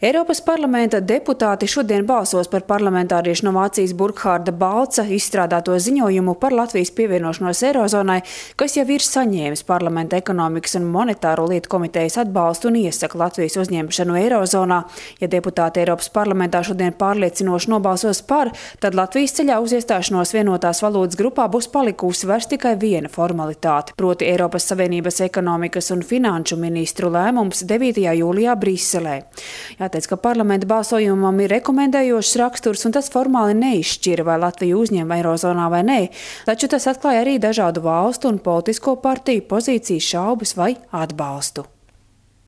Eiropas parlamenta deputāti šodien balsos par parlamentāriešu no Vācijas Burkhārda Balca izstrādāto ziņojumu par Latvijas pievienošanos Eirozonai, kas jau ir saņēmis parlamenta ekonomikas un monetāro lietu komitejas atbalstu un iesaka Latvijas uzņemšanu Eirozonā. Ja deputāti Eiropas parlamentā šodien pārliecinoši nobalsos par, tad Latvijas ceļā uz iestāšanos vienotās valūtas grupā būs palikusi vairs tikai viena formalitāte, proti Eiropas Savienības ekonomikas un finanšu ministru lēmums 9. jūlijā Briselē. Jāteic, ka parlamenta balsojumam ir rekomendējošs raksturs, un tas formāli neizšķira, vai Latviju uzņem Eirozonā vai nē, taču tas atklāja arī dažādu valstu un politisko partiju pozīcijas šaubas vai atbalstu.